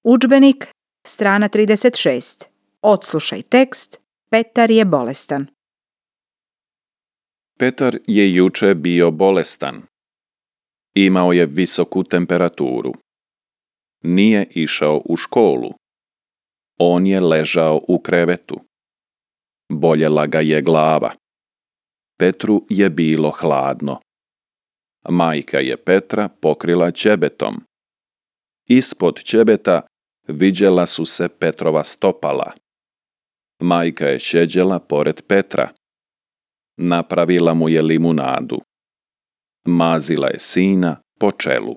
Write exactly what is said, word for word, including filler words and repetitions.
Udžbenik, strana trideset šest. Odslušaj tekst. Petar je bolestan. Petar je juče bio bolestan. Imao je visoku temperaturu. Nije išao u školu. On je ležao u krevetu. Boljela ga je glava. Petru je bilo hladno. Majka je Petra pokrila ćebetom. Ispod ćebeta viđela su se Petrova stopala. Majka je šeđela pored Petra. Napravila mu je limunadu. Mazila je sina po čelu.